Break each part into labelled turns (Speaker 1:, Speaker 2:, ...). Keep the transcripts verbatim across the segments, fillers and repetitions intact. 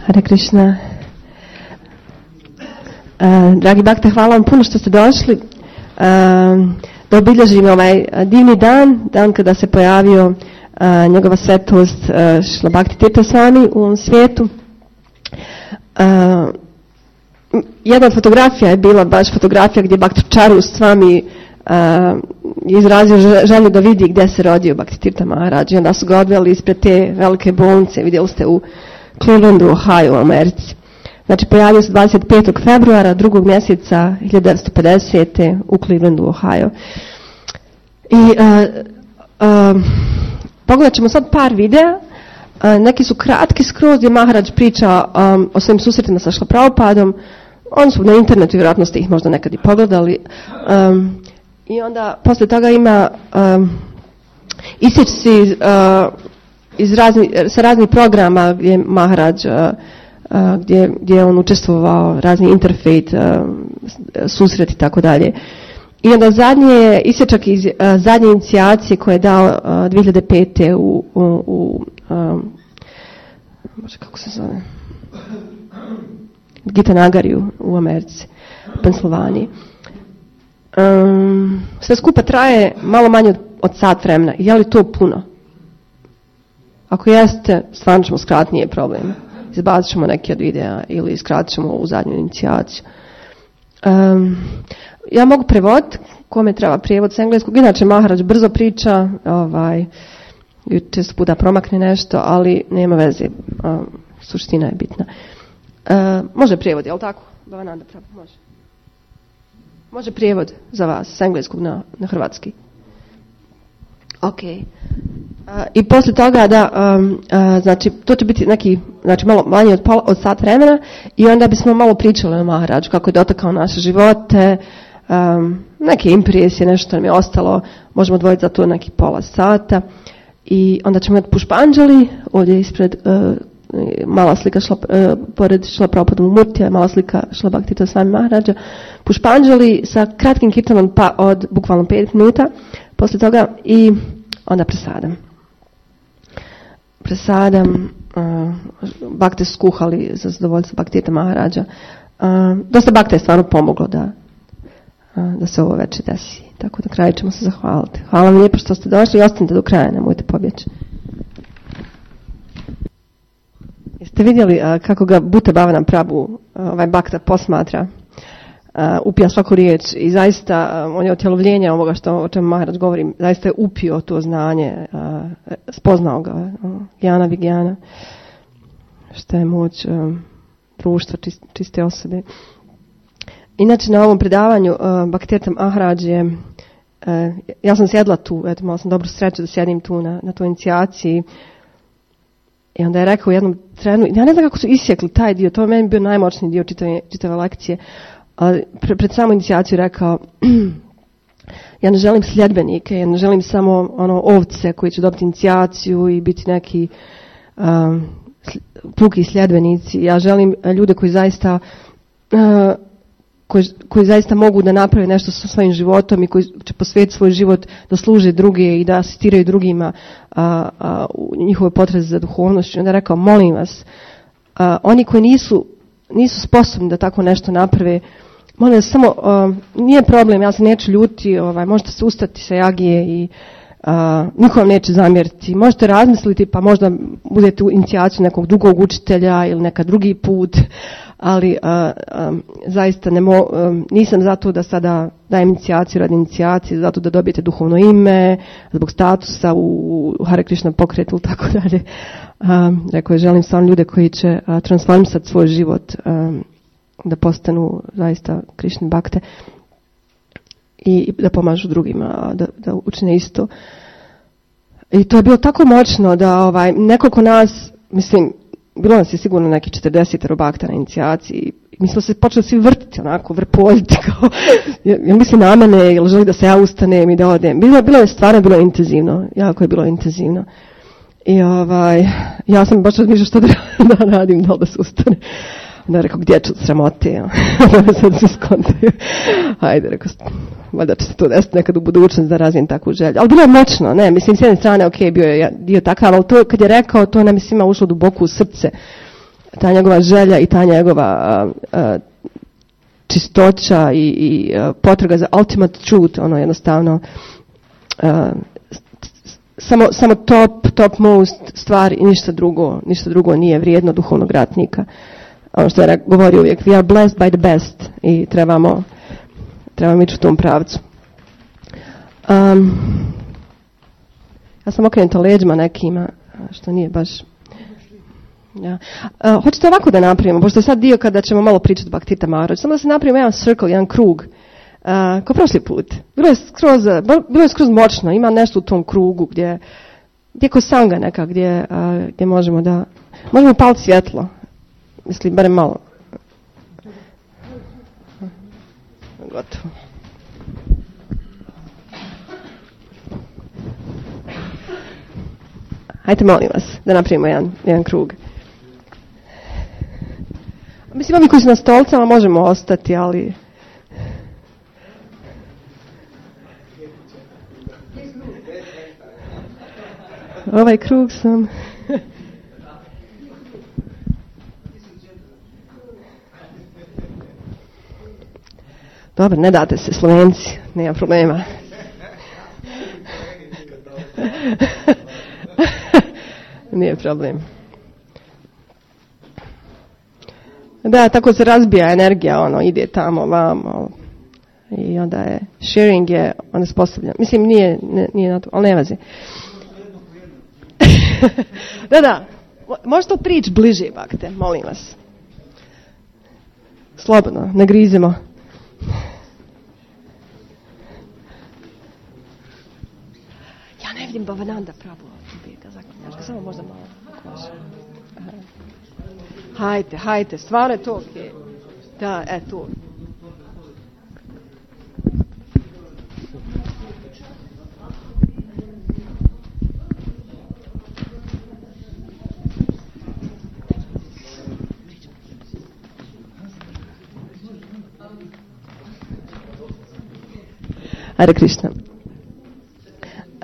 Speaker 1: Hare Krishna. Uh, dragi Bakte, hvala vam puno što ste došli uh, da obilježimo ovaj divni dan, dan kada se pojavio uh, njegova svetost uh, Šrila Bhakti Tirtha Swami u ovom svijetu. Uh, jedna od fotografija je bila baš fotografija gdje Bhakti Charu Swami uh, izrazio želju da vidi gdje se rodio Bhakti Tirtha Maharaj. I onda su ga odveli ispred te velike bolnice, vidjeli ste u Clevelandu, Ohio u Americi. Znači pojavio se dvadeset petog februara drugog mjeseca hiljadu devetsto pedesete u Clevelandu, Ohio. I uh, uh, pogledat ćemo sad par videa. Uh, neki su kratki skroz gdje Maharaj priča um, o svojim susretima sa Šrila Prabhupadom. Oni su na internetu, vjerojatno ste ih možda nekad i pogledali. Um, I onda poslije toga ima um, isječci uh, iz razni, sa raznih programa gdje Maharaj uh, Uh, gdje, gdje je on učestvovao, razni interfejt, uh, susret i tako dalje. I onda zadnje je isječak iz uh, zadnje inicijacije koje je dao uh, dvije hiljade pete u, u, u um, može kako se zove, Gitanagariju u Americi, u Pensilvaniji. Um, sve skupa traje malo manje od, od sat vremena. Je li to puno? Ako jeste, stvarno ćemo skratiti, nije problem. Izbacit ćemo neke od videa ili skratit ćemo u zadnju inicijaciju. Um, ja mogu prevoditi, kome treba prijevod s engleskog. Inače Maharaj brzo priča, ovaj, često puta promakne nešto, ali nema veze. Um, suština je bitna. Uh, može prijevod, je li tako? Bhavananda Prabhu, može. Može prijevod za vas s engleskog na, na hrvatski. Ok. Uh, I poslije toga da, um, uh, znači, to će biti neki, znači malo manje od, pola, od sat vremena i onda bismo malo pričali o Maharaju, kako je dotakao naše živote, um, neke impresije, nešto nam je ostalo, možemo odvojiti za to neki pola sata i onda ćemo imati Pušpanđali, ovdje ispred uh, mala slika šla, uh, pored Šrila Prabhupada Murtija, mala slika Šrila Bhakti Tirtha Swami Maharaja, Pušpanđali sa kratkim kirtanom pa od bukvalno pet minuta, poslije toga i onda presadam. Presadam, uh, bakte su skuhali za zadovoljstvo Bhakti Tirtha Maharaja. Uh, dosta bakte je stvarno pomoglo da, uh, da se ovo večer desi. Tako da kraju ćemo se zahvaliti. Hvala vam lijepo što ste došli i ostanite do kraja, nemojte pobjeći. Jeste vidjeli uh, kako ga Bhutta Bhavana Prabhu, uh, ovaj bakta posmatra, uh, upija svaku riječ i zaista uh, on je otjelovljenje ovoga što, o čemu Maharaj govori, zaista je upio to znanje, uh, spoznao ga, uh, Jana Vigjana, što je moć uh, društva, čist, čiste osobe. Inače na ovom predavanju uh, Bhakti Tirtha Maharaj je, uh, ja sam sjedla tu, eto, malo sam dobru sreću da sjedim tu na, na toj inicijaciji. I onda je rekao u jednom trenu, ja ne znam kako su isjekli taj dio, to je meni bio najmoćniji dio čitave, čitave lekcije, ali pre, pred samu inicijaciju rekao, ja ne želim sljedbenike, ja ne želim samo ono ovce koji će dobiti inicijaciju i biti neki um, puki sljedbenici, ja želim ljude koji zaista uh, koji, koji zaista mogu da naprave nešto sa svojim životom i koji će posvetiti svoj život da služe druge i da asistiraju drugima a, a, u njihove potrebe za duhovnošću. Onda je rekao, molim vas, a, oni koji nisu, nisu sposobni da tako nešto naprave, molim vas, samo, a, nije problem, ja se neću ljuti, ovaj, možete se ustati sa jagije i a, niko vam neće zamjeriti. Možete razmisliti pa možda budete u inicijaciju nekog drugog učitelja ili neka drugi put, ali a, a, zaista ne mo, a, nisam zato da sada dajem inicijaciju radi inicijacije, zato da dobijete duhovno ime, zbog statusa u, u Hare Krishna pokretu ili tako dalje. A, rekao je, želim stvarno ljude koji će a, transformisati svoj život, a, da postanu zaista Krishna bakte i, i da pomažu drugima, da, da učine isto. I to je bilo tako moćno da ovaj, nekoliko nas, mislim, bilo nas je sigurno neki četrdeset bakta na inicijaciji. Mi smo se počeli svi vrtiti, onako, vrpoljiti, kao, jel misli na mene, jel želi da se ja ustanem i da odem. Bilo, bilo je stvarno bilo intenzivno, jako je bilo intenzivno. I ovaj, ja sam baš razmišljala što da, da radim, da li da se ustane. Onda je rekao, gdje ću sramote? Onda sad se skontaju. Hajde, rekao, valjda će se to desiti nekad u budućnosti da razvijem takvu želju. Ali bilo je moćno, ne, mislim, s jedne strane, ok, bio je dio takav, ali to kad je rekao, to nam je svima ušlo duboko u srce. ta njegova želja i ta njegova uh, uh, čistoća i, i uh, potraga za ultimate truth, ono jednostavno uh, samo, samo top, top most stvar i ništa drugo, ništa drugo nije vrijedno duhovnog ratnika. Ono što je govorio uvijek, we are blessed by the best i trebamo, trebamo ići u tom pravcu. Um, ja sam okrenuta leđima nekima, što nije baš... Ja. Uh, hoćete ovako da napravimo, pošto je sad dio kada ćemo malo pričati o Bhaktita Maharaj, samo da se napravimo jedan circle, jedan krug, uh, kao prošli put. Bilo je skroz, bilo je skroz moćno, ima nešto u tom krugu gdje, gdje je ko sanga neka, gdje, uh, gdje možemo da, možemo paliti svjetlo, mislim, barem malo. Gotovo. Hajde, molim vas, da napravimo jedan, jedan krug. Mislim, ovi koji su na stolcama možemo ostati, ali... Ovaj krug sam... Dobro, ne date se, Slovenci, nema problema. Nije problem. Da, tako se razbija energija, ono, ide tamo, vamo. I onda je, sharing je, onda se postavlja. Mislim, nije, ne, nije na to, ali ne vazi. Da, da, možete prići bliže, bakte, molim vas. Slobodno, ne grizimo. Ja ne vidim Bhavananda Prabhu. Samo možda malo. Hajte, hajte, stvarno je to okej. Okay. Da, e, tu. Hare Krishna.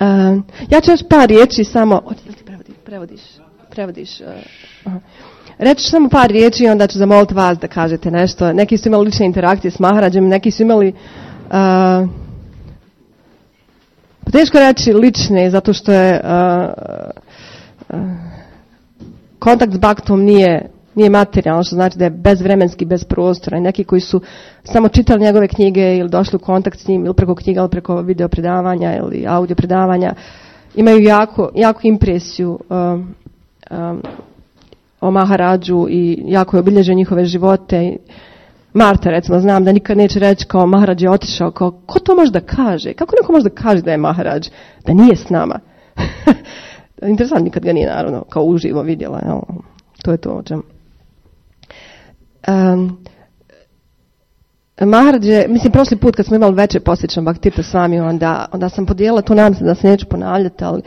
Speaker 1: Uh, ja ću još par riječi samo... O, ti prevodi, prevodiš? Prevodiš? Uh, uh. Reći ću samo par riječi i onda ću zamoliti vas da kažete nešto. Neki su imali lične interakcije s Maharađem, neki su imali... Uh, teško reći lične, zato što je... Uh, uh, kontakt s Bhaktom nije... nije materijalno, što znači da je bezvremenski, bez prostora. I neki koji su samo čitali njegove knjige ili došli u kontakt s njim ili preko knjiga ili preko video predavanja ili audio predavanja, imaju jako, jako impresiju um, um, o Maharadžu i jako je obilježio njihove živote. Marta, recimo, znam da nikad neće reći kao Maharadž je otišao, kao ko to može da kaže? Kako neko može da kaže da je Maharadž, da nije s nama? Interesantno, nikad ga nije naravno kao uživo vidjela. Jel? To je to o čemu. Um, Maharadž je, mislim, prošli put kad smo imali večer posjećan Bhaktita s vami, onda, onda sam podijelila, tu nadam se da se neću ponavljati, ali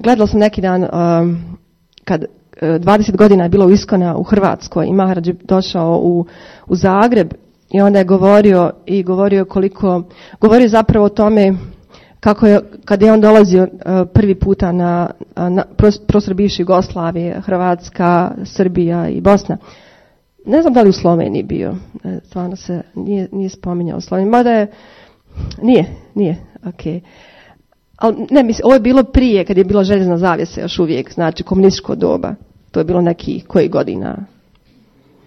Speaker 1: gledala sam neki dan um, kad uh, dvadeset godina je bilo u Iskona u Hrvatskoj i Maharadž je došao u, u Zagreb i onda je govorio i govorio koliko, govorio zapravo o tome kako je, kad je on dolazio uh, prvi puta na, na prostor bivše Jugoslavije, Hrvatska, Srbija i Bosna. Ne znam da li u Sloveniji bio, stvarno se nije, nije spominjao u Sloveniji, mada je, nije, nije, okej. Okay. Ali ne, mislim, ovo je bilo prije, kad je bila željezna zavjesa još uvijek, znači komunističko doba, to je bilo neki, koji godina,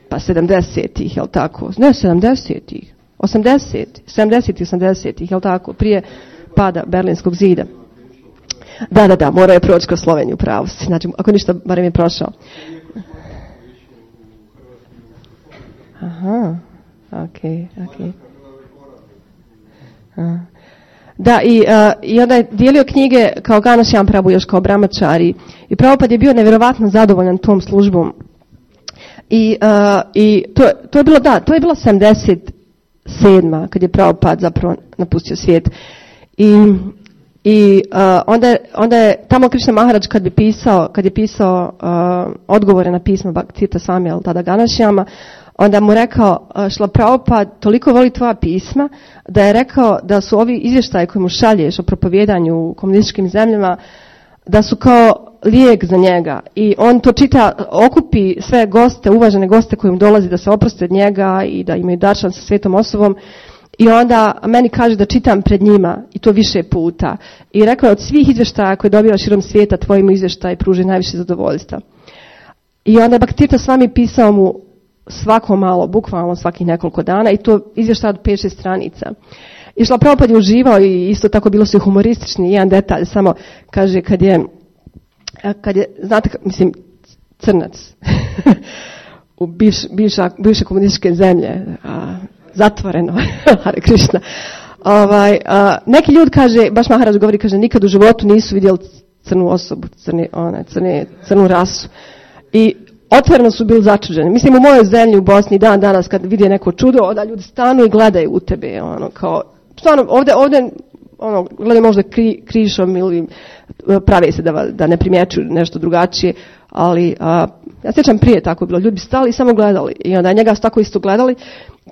Speaker 1: pa sedamdesetih, jel tako, ne sedamdesetih, osamdesetih, sedamdesetih, osamdesetih, jel tako, prije pada Berlinskog zida. Da, da, da, morao je proći kroz Sloveniju, pravo si. Znači, ako ništa, barem je prošao. Aha, okej, okay, okej. Okay. Da, i, uh, i onda je dijelio knjige kao Ghanashyam Prabhu, još kao Brahmachari. I Prabhupada je bio nevjerovatno zadovoljan tom službom. I, uh, i to, to je bilo, da, to je bilo sedamdeset sedma kad je Prabhupada zapravo napustio svijet. I, i uh, onda, je, onda je tamo Krishna Maharadž kad bi pisao, kad je pisao uh, odgovore na pismo Bhaktita Swami, ali tada Ghanashyama, onda mu rekao, uh, Šla Prabhupada toliko voli tvoja pisma, da je rekao da su ovi izvještaji koji mu šalješ o propovjedanju u komunističkim zemljama, da su kao lijek za njega i on to čita, okupi sve goste, uvažene goste koji mu dolazi da se oproste od njega i da imaju daršan sa svetom osobom i onda meni kaže da čitam pred njima i to više puta i rekao je od svih izvještaja koje dobiva širom svijeta tvojim izvještaj pruži najviše zadovoljstva. I onda je Bhaktivedanta Swami pisao mu svako malo, bukvalno svakih nekoliko dana i to izvještaj od pet šest stranica. I Šrila Prabhupada je uživao i isto tako bilo su i humoristični, jedan detalj, samo kaže kad je, kad je znate, mislim, crnac u bivš, bivša, bivše komunističke zemlje, a, zatvoreno, Hare Krishna, ovaj, a, neki ljudi kaže, baš Maharaj govori, kaže, nikad u životu nisu vidjeli crnu osobu, crni, one, crne, crnu rasu. I otvoreno su bili začuđeni. Mislim, u mojoj zemlji, u Bosni, dan danas, kad vide neko čudo, onda ljudi stanu i gledaju u tebe, ono, kao, stvarno, ovdje, ovdje, ono, gledaju možda kri, krišom ili prave se da, da ne primjećuju nešto drugačije, ali a, ja sjećam prije tako je bilo, ljudi bi stali i samo gledali i onda njega su tako isto gledali.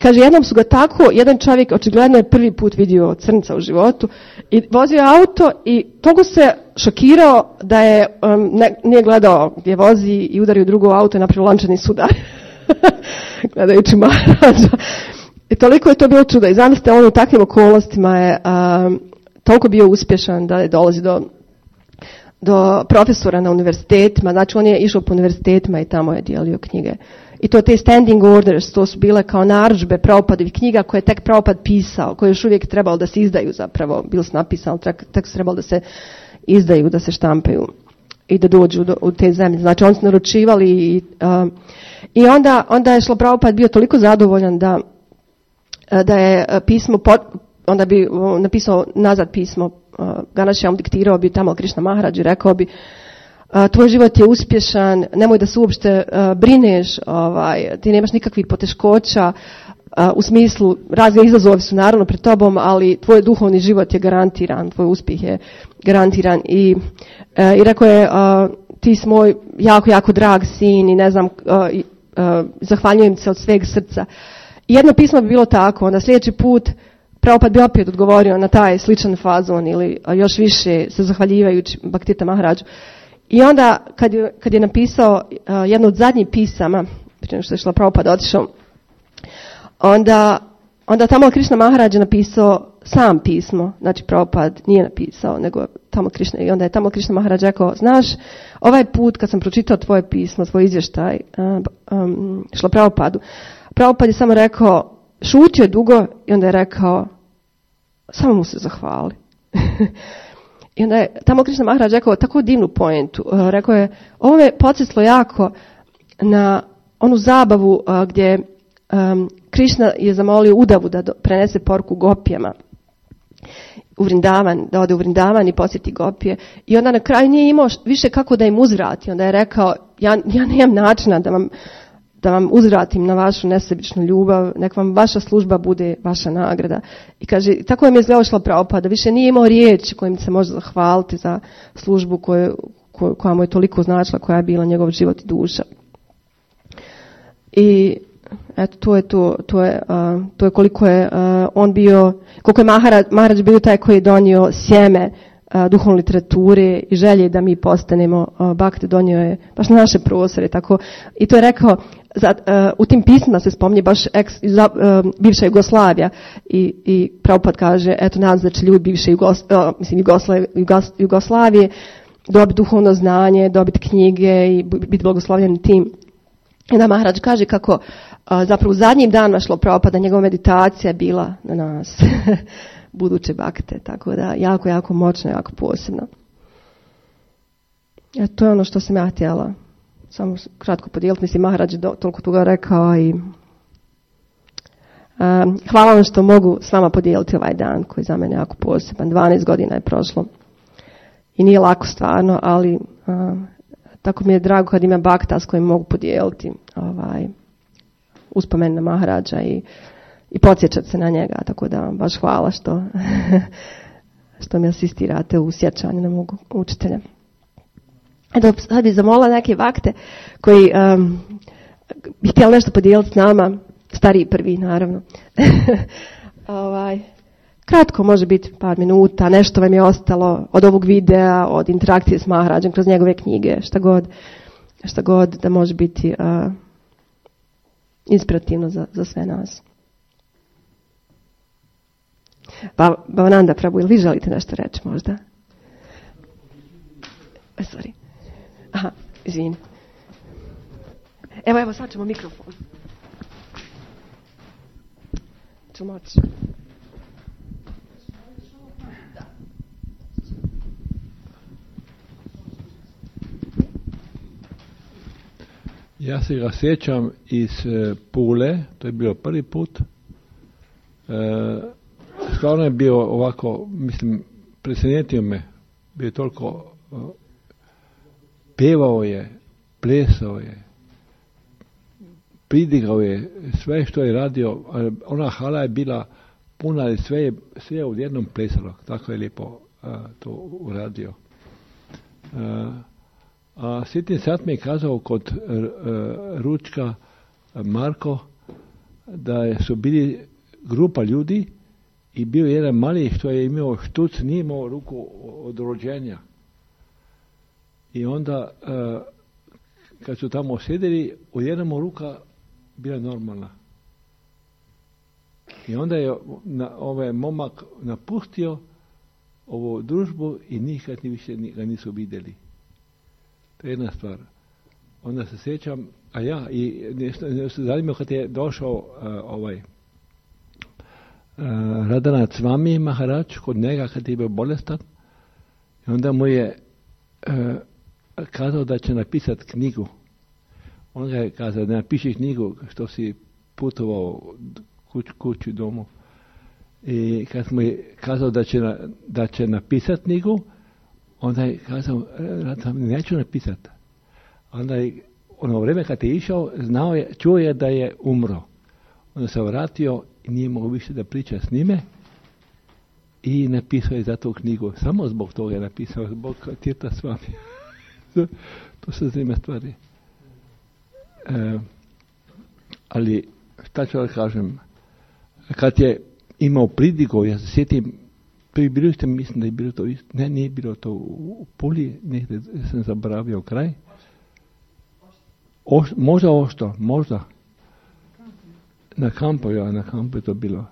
Speaker 1: Kaže, jednom su ga tako, jedan čovjek očigledno je prvi put vidio crnca u životu i vozio auto i toliko se šokirao da je um, ne, nije gledao gdje vozi i udario drugo auto i napravio lančani sudar. Gledajući Maharađa. I toliko je to bilo čudo. I zamislite, on u takvim okolnostima je um, toliko bio uspješan da je dolazi do, do profesora na univerzitetima. Znači, on je išao po univerzitetima i tamo je dijelio knjige. I to te standing orders, to su bile kao narudžbe Prabhupadovih knjiga koje je tek Prabhupada pisao, koje još uvijek trebalo da se izdaju zapravo. Bilo su napisano, tek, tek su trebalo da se izdaju, da se štampaju i da dođu do, u te zemlje. Znači, oni su naručivali i, uh, i onda, onda je Šrila Prabhupada bio toliko zadovoljan da da je pismo, onda bi napisao nazad pismo, Ganashyam diktirao bi tamo Krishna Maharaj i rekao bi, tvoj život je uspješan, nemoj da se uopšte brineš, ovaj, ti nemaš nikakvih poteškoća, u smislu, razne izazovi su naravno pred tobom, ali tvoj duhovni život je garantiran, tvoj uspjeh je garantiran i, i rekao je, ti si moj jako, jako drag sin i ne znam, zahvaljujem se od sveg srca. I jedno pismo bi bilo tako, onda sljedeći put Prabhupada bi opet odgovorio na taj sličan fazon ili još više se zahvaljivajući Bhaktivedanta Maharaju. I onda kad je, kad je napisao uh, jedno od zadnjih pisama, prije što je Šrila Prabhupada otišao, onda, onda tamo Krishna Maharaj je napisao sam pismo, znači Prabhupada nije napisao, nego tamo Krishna, i onda je tamo Krishna Maharaj rekao, znaš, ovaj put kad sam pročitao tvoje pismo, tvoj izvještaj, uh, um, Šrila Prabhupadu, Prabhupada je samo rekao, šutio je dugo i onda je rekao, samo mu se zahvali. I onda je tamo Krishna Maharaj rekao tako divnu poentu. Uh, rekao je, ovo me podsjetilo jako na onu zabavu uh, gdje um, Krishna je zamolio Udavu da do, prenese poruku gopijama u Vrindavan, da ode u Vrindavan i posjeti gopije. I onda na kraju nije imao više kako da im uzvrati. Onda je rekao, ja, ja nemam načina da vam da vam uzvratim na vašu nesebičnu ljubav, nek vam vaša služba bude vaša nagrada. I kaže, tako je mi je izgledalo Šrila Prabhupada, više nije imao riječi kojim se može zahvaliti za službu koju, koju, koja mu je toliko značila, koja je bila njegov život i duša. I eto, to je to, to je, uh, to je koliko je uh, on bio, koliko je Maharaj, Maharaj bio taj koji je donio sjeme uh, duhovne literature i želje da mi postanemo uh, bhakti, donio je baš na naše prostore, tako. I to je rekao, Za, uh, u tim pismima se spominje baš ex, za, uh, bivša Jugoslavija i, i Prabhupada kaže, eto nadam se da će ljudi bivše Jugos, uh, mislim, Jugoslavije, Jugos, Jugoslavije dobiti duhovno znanje, dobiti knjige i biti blagoslovljeni tim. I da Maharaj kaže kako uh, zapravo u zadnjim danima Šrila Prabhupada njegova meditacija je bila na nas, buduće bakte, tako da jako, jako moćno, jako posebno. E, to je ono što sam ja htjela samo kratko podijeliti, mislim, Maharaj je toliko toga rekao i um, hvala vam što mogu s vama podijeliti ovaj dan koji je za mene jako poseban. dvanaest godina je prošlo i nije lako stvarno, ali um, tako mi je drago kad ima bakta s kojim mogu podijeliti ovaj, uspomen na Maharaja i, i podsjećati se na njega, tako da vam baš hvala što, što mi asistirate u sjećanju na mog učitelja. Eto, sad bih zamolila neke vakte koji um, bi htjeli nešto podijeliti s nama, stariji prvi naravno. ovaj, Kratko, može biti par minuta, nešto vam je ostalo od ovog videa, od interakcije s Maharađom kroz njegove knjige, šta god, šta god da može biti uh, inspirativno za, za sve nas. Pa, Bhavananda Prabhu, ili vi želite nešto reći možda? E, sorry. Aha, izvini. Evo, evo, sad ćemo mikrofon. Ću moći.
Speaker 2: Ja se ga sjećam iz e, Pule, to je bio prvi put. E, stvarno je bio ovako, mislim, presnetio me. Bio je toliko, e, pevao je, plesao je, pridigao je sve što je radio. Ona hala je bila puna i sve je, sve je odjednom plesalo. Tako je lijepo a, to uradio. A, a sjetim sad mi je kazao kod a, a, ručka a, Marko da je, su bili grupa ljudi i bio jedan mali što je imao štuc, nije imao ruku od rođenja. I onda a, kad su tamo sjedili, odjednom ruka bila normalna. I onda je na, ovaj momak napustio ovu družbu i nikad ni više ga nisu vidjeli. To je jedna stvar. Onda se sjećam, a ja, i nešto, nešto zanimljivo kad je došao uh, ovaj uh, Radhanath Swami Maharaj kod njega kad je bio bolestan i onda mu je uh, kazao da će napisati knjigu. On ga je kazao da napiši knjigu što si putovao kuć, kuću domu. I kad mu je kazao da će, na, da će napisati knjigu, onda je kazao, neću napisati. Onda je, ono vrijeme kad je išao, znao je, čuo je da je umro. Onda se vratio i nije mogao više da priča s njime i napisao je za tu knjigu. Samo zbog toga je napisao, zbog Tirtha Swami. To su zanimljive stvari. E, ali šta ću da kažem, kad je imao pridigo, ja se sjetim, prvi bilo ste, mislim da je bilo to isto, ne, nije bilo to u Puli, negdje sam zaboravio kraj, Oš, možda Ošto, možda, na kampu, ja, na kampu je to bilo.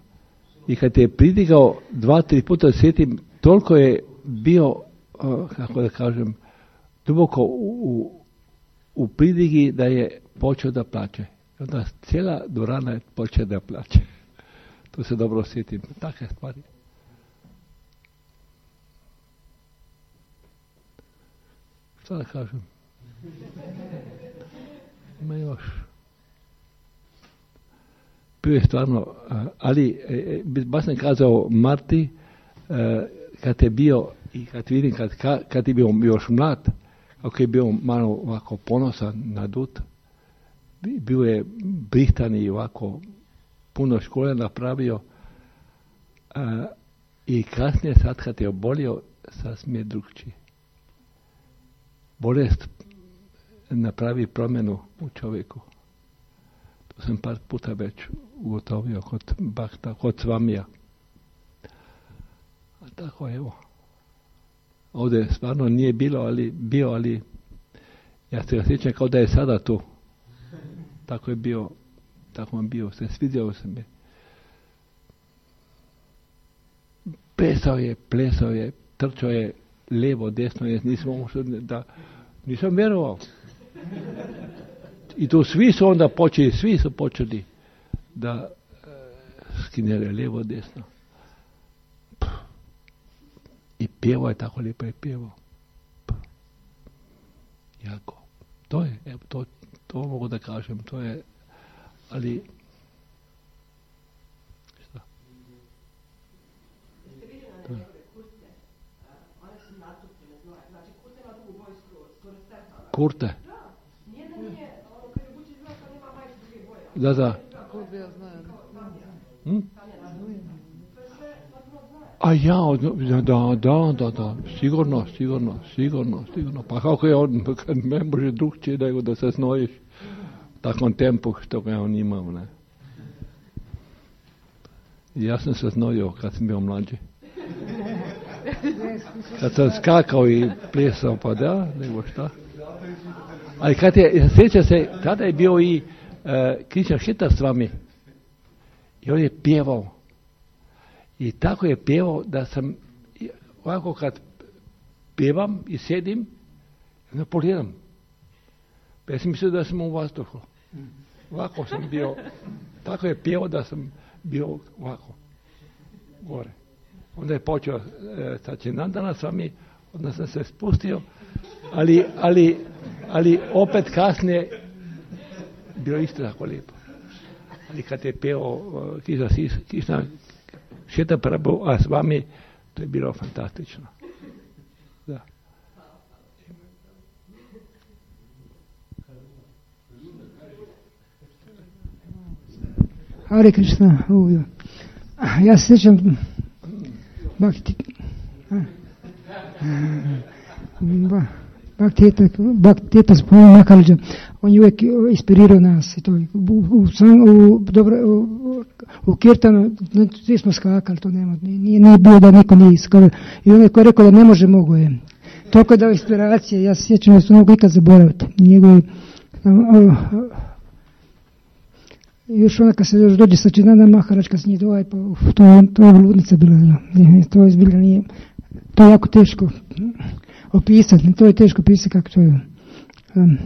Speaker 2: I kad je pridigao dva, tri puta, sjetim, toliko je bio, uh, kako da kažem, duboko u, u u pridigi da je počeo da plače. Onda cijela dvorana je počela da plače. To se dobro osjetim. Takve stvari. Šta da kažem? Ima još. Bio je stvarno, ali baš sam kazao Marti, kad je bio, i kad vidim, kad, kad je bio još mlad, ako je bio malo ovako ponosan, nadut, bio je britan i ovako puno škole napravio a, i kasnije sad kad je obolio, sasvim je drugčiji. Bolest napravi promjenu u čovjeku. To sam par puta već ugotovio kod Bhakta, kod Svamija. A tako evo. Ovdje stvarno nije bilo, ali bio, ali ja se ga sjećam kao da je sada tu. Tako je bio, tako vam bio, se svidio se mi. Plesao je, plesao je, trčao je lijevo, desno, nisam, da, nisam vjerovao. I tu svi su onda počeli, svi su počeli da e, skinjere lijevo, desno. I pjevao je tako lijepo je pjevao. Jako. To je, evo, to, to mogu da kažem, to je, ali, šta?
Speaker 1: Jeste vidjeli na njegove kurte? One su natupljene, znači kurte ima dugu boju skoro stepana.
Speaker 2: Kurte?
Speaker 1: Da, nijedna nije, ono kad je bući zna, kad ima majicu druge boje.
Speaker 2: Da, da.
Speaker 3: Kurte ja znam.
Speaker 2: Hm? A ja, da, da, da, da, sigurno, sigurno, sigurno, sigurno. Pa kako je on, ne može drugčije nego da se znojiš u takvom tempu što ga on imao, ne. Ja sam se znojio kad sam bio mlađi. Kad sam skakao i plesao, pa da, nego šta. Ali kad je, sjeća se, tada je bio i uh, Kristijan Šetar s vami. I on je pjevao. I tako je pjevao da sam, ovako kad pjevam i sjedim, onda pogledam. Pa ja sam mislio da sam u vazduhu. Ovako sam bio, tako je pjevao da sam bio ovako, gore. Onda je počeo e, sa Činandana s vami, onda sam se spustio, ali, ali, ali opet kasnije bilo isto tako lijepo. Ali kad je pjevao uh, Kristijan Šetar Prabhu, a s vami, to je bilo fantastično. Da.
Speaker 3: Hare Krishna. Ja se sjećam Bhakti Bhakti Spomenu Maharadža. On je uvijek inspirirao nas. I to, u, u, u, dobro, u, u Kirtanu svi smo skakali, to nema, nije, nije bilo da niko nije skakao. I on je koji rekao da ne može, mogo je. Toliko je dao inspiracije, ja se sjećam da su mogu ikad zaboraviti. Njegovi, još ona kad se još dođe sa Činanda Maharadž, kad se njih dovaj, pa uf, to, to je ludnica bila. To je zbilja nije, to je jako teško opisati, to je teško opisati kako to je. Um,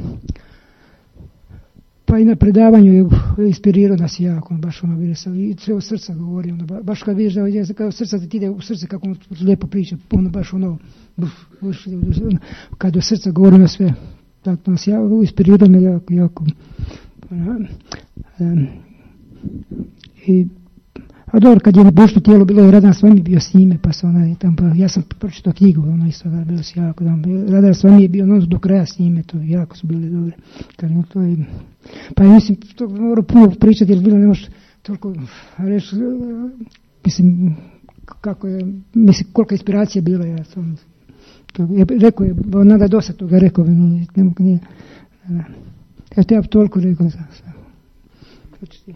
Speaker 3: pa i na predavanju je inspirirao nas jako, baš ono bilo sam, i sve od srca govori, ono, baš kad vidiš da je kao srca ti ide u srce, kako on lijepo priča, ono baš ono, buf, buf, kad do srca govori na sve, tako nas jako, inspirirao me jako, jako. Um, i a dobro, kad je božno tijelo bilo je Radhar Swami bio s njime, pa se ona tam, pa ja sam pročitao knjigu, ono isto da bilo se jako, Radhar Swami je bio ono do kraja s njime, to jako su bili dobri. Kad, no, to je, pa ja mislim, to moram puno pričati, jer bilo ne može toliko reći, mislim, kako je, mislim, kolika inspiracija bila, ja sam, to, je, rekao je, nada dosta toga rekao, ne, ne mogu nije, ne, ja te ja toliko rekao, za sve. Početi.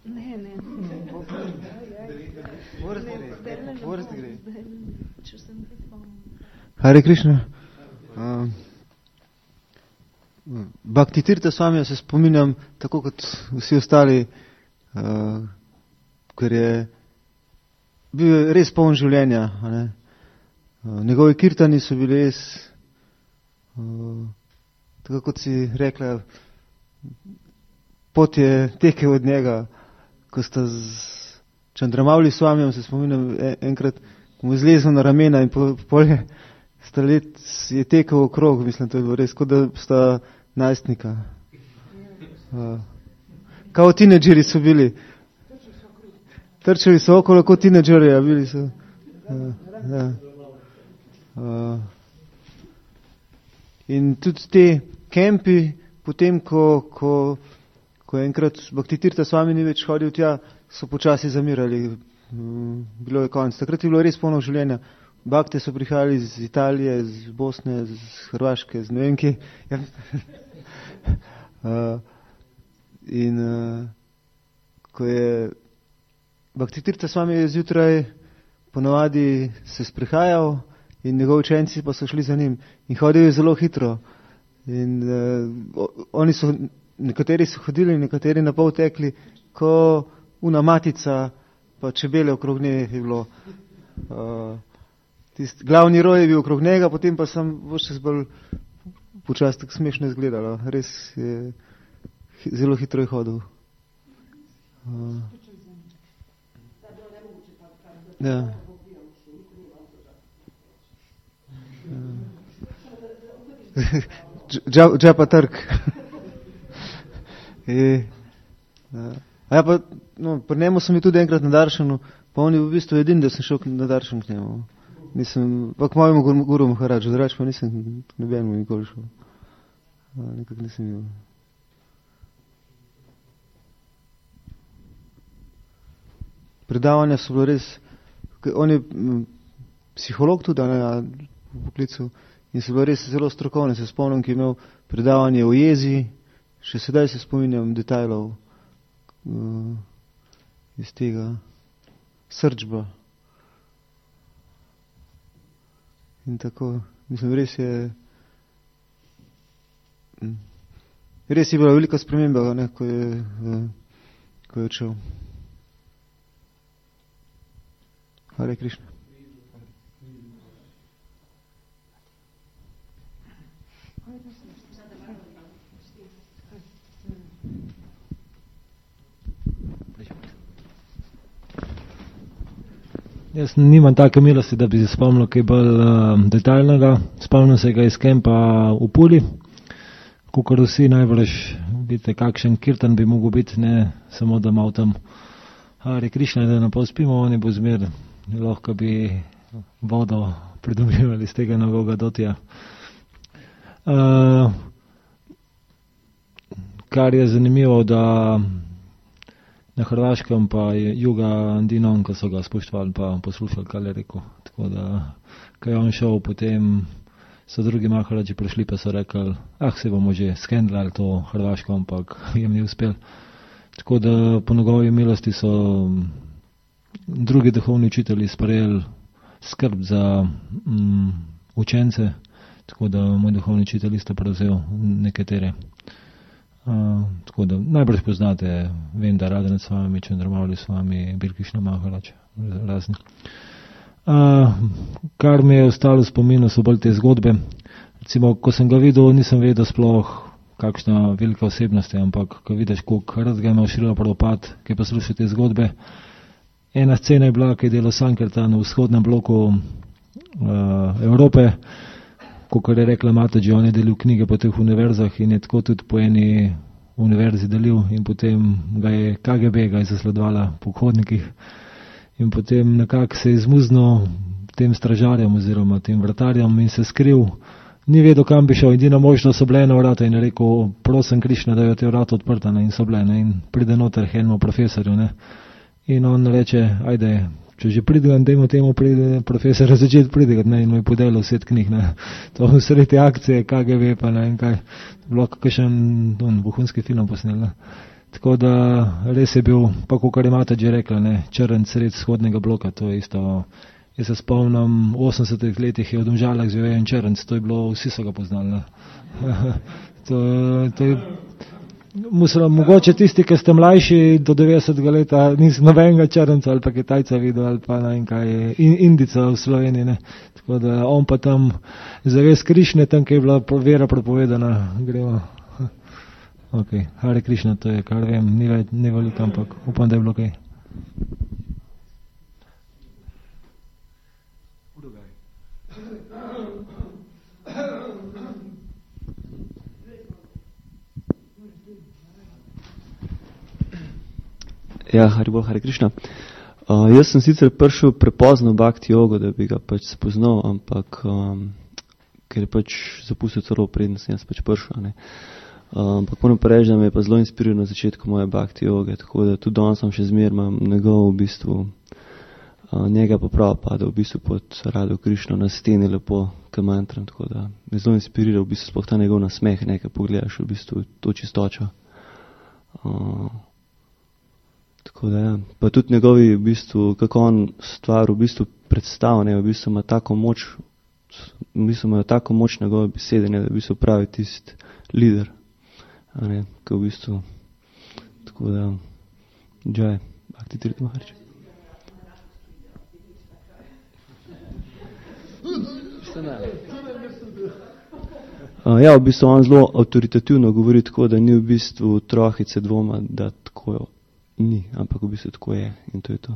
Speaker 4: Ne, ne.
Speaker 5: Hare Krishna. Uh, Bhakti Tirtha Swamija se spominjam tako kot vsi ostali, uh, ker je bil res poln življenja. Ne? Uh, njegovi kirtani so bili res, uh, tako kot si rekla, pot je tekel od njega, ko sta z Čandramavli Swamijem, se spominjam enkrat, ko mu je zlezel na ramena in po, polje sta let je tekel okrog, mislim, to je bilo res, kot da sta najstnika. Uh, kao teenageri so bili. Trčali so okolo kot teenageri, a bili so. Uh, ja. uh, in tudi te kempi, potem, ko, ko, ko enkrat Bhakti Tirtha Swami ni več hodil tja, so počasi zamirali. Um, bilo je konec. Takrat je bilo res polno življenja. Bakte so prihajali iz Italije, iz Bosne, iz Hrvaške, iz ne vem kje. Ja. uh, in uh, ko je Bhakti Tirtha Swami je zjutraj ponavadi se sprehajal in njegovi učenci pa so šli za njim. In hodil je zelo hitro. In uh, oni so, nekateri so hodili, nekateri na pol tekli, ko una matica, pa čebele okrog nje je bilo. Uh, Tist, glavni roj je bil okrog njega, potem pa sem še bolj počasi tako smešno izgledalo. Res je zelo hitro je hodil. Uh, ja. Uh, Džapa trg. e, uh, a ja pa, no, pri njemu sem bil tudi enkrat na Daršanu, pa on je v bistvu edin, da sem šel na Daršan k njemu. Nisem, pa k mojemu guru Maharadžu, drugače pa nisem k nobenemu nikoli šel. Nekako nisem bil. Predavanja so bilo res, on je m, psiholog tudi, ne, v poklicu, in so bile res zelo strokovne. Se spomnim, ki je imel predavanje o jezi, še sedaj se spominjam detajlov uh, iz tega srčba. In tako, mislim, res je res je bila velika sprememba, ne, ko je, uh, ko je odšel. Hare Krišna.
Speaker 4: Jaz nimam take milosti, da bi se spomnil kaj bolj uh, detaljnega. Spomnim se ga iz kempa v Puli, kakor vsi najbrž vidite, kakšen kirtan bi mogel biti, ne samo da malo tam Hare Krišna, da napol spimo, oni bo zmer, lahko bi vodo pridobivali z tega novega dotija. Uh, kar je zanimivo, da na Hrvaškem pa je Juga Andinon, ko so ga spoštovali pa poslušali, kaj je rekel. Tako da, ko je on šel, potem so drugi Maharaji prišli pa so rekli, ah, se bomo že skendlali to Hrvaško, ampak jim ni uspel. Tako da po njegovi milosti so drugi duhovni učitelji sprejeli skrb za um, učence, tako da moj duhovni učitelj isto prevzel nekatere. Uh, tako da najbrž poznate, vem, da Radhanath Swami, Chandramali Swami, Birkišna Maharaj, razni. Uh, kar mi je ostalo v spominu, so bolj te zgodbe. Recimo, ko sem ga videl, nisem vedel sploh, kakšna velika osebnost je, ampak ko vidiš, koliko rad ga ima Šrila Prabhupada, ki posluša te zgodbe. Ena scena je bila, ki je delal Sankirtan v vzhodnem bloku uh, Evrope, kot je rekla Mataji, on je delil knjige po teh univerzah in je tako tudi po eni univerzi delil in potem ga je K G B ga je zasledovala po hodnikih in potem nekako se je izmuznil tem stražarjem oziroma tem vratarjem in se skril. Ni vedel, kam bi šel, edina možnost so bile ena vrata in je rekel, prosim Krišna, da je te vrata odprta, ne, in so bile, ne, in pride noter enemu profesorju, ne, in on reče, ajde, če že pridigam, dajmo temu pride profesora začeti pridigati, ne, in mu je podelil set knjig, ne, to v sredi akcije, K G B pa ne, in kaj, bilo kakšen vohunski film posnel, ne. Tako da res je bil, pa kakor je Mataji rekla, ne, črn sred vzhodnega bloka, to je isto. Jaz se spomnim, v osemdesetih letih je v Domžalah živel en črnc, to je bilo, vsi so ga poznali. to, to je, musel, mogoče tisti, ki ste mlajši do devetdesetega leta, nisem nobenega črnca ali pa Kitajca videl ali pa ne, kaj, in, Indica v Sloveniji. Ne. Tako da on pa tam zaves Krišne, tam, ki je bila vera propovedana, gremo. Ok, Hare Krišna, to je, kar vem, ni, ni veliko, ampak upam, da je bilo kaj.
Speaker 6: Ja, Haribol, Hare Krišna. Uh, jaz sem sicer prišel prepozno v Bhakti jogo, da bi ga pač spoznal, ampak um, ker je pač zapustil celo prednost, jaz pač prišel. Ne. Uh, ampak moram pa reči, da me je pa zelo inspiriral na začetku moje Bhakti joge, tako da tudi danes sem še zmer, imam njegov v bistvu, uh, njega pa prav pada v bistvu pod Radho Krišno na steni lepo kamantram, tako da me zelo inspiriral v bistvu sploh ta njegov nasmeh, nekaj pogledaš v bistvu to čistočo. Uh, Tako da, ja. Pa tudi njegovi, v bistvu, kako on stvar v bistvu predstavlja, ne, v bistvu ima tako moč, v bistvu ima tako moč njegove besede, ne, da v bistvu pravi tist lider, a ne, ko v bistvu, tako da, džaj, Bhakti Tirtha Maharaj. Uh, ja, v bistvu on zelo avtoritativno govori tako, da ni v bistvu trohice dvoma, da tako jo ni, ampak v bistvu tako je in to je to.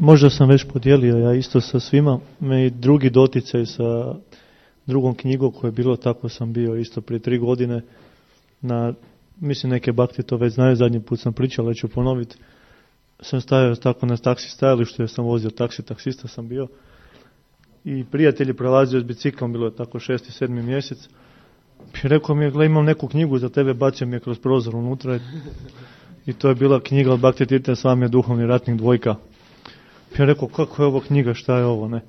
Speaker 7: možda sam već podijelio ja isto sa svima, me i drugi doticaj sa drugom knjigom koje je bilo, tako sam bio isto prije tri godine na, mislim neke bakti to već znaju, zadnji put sam pričao, ali ću ponoviti. Sam stajao tako na taksi stajalištu jer sam vozio taksi, taksista sam bio i prijatelj je prolazio s biciklom, bilo je tako šesti, sedmi mjesec i rekao mi je, gle, imam neku knjigu za tebe, bacio mi je kroz prozor unutra i to je bila knjiga od Bhakti Tirtha Swamija Duhovni ratnik dvojka. I ja rekao, kako je ovo knjiga, šta je ovo, ne?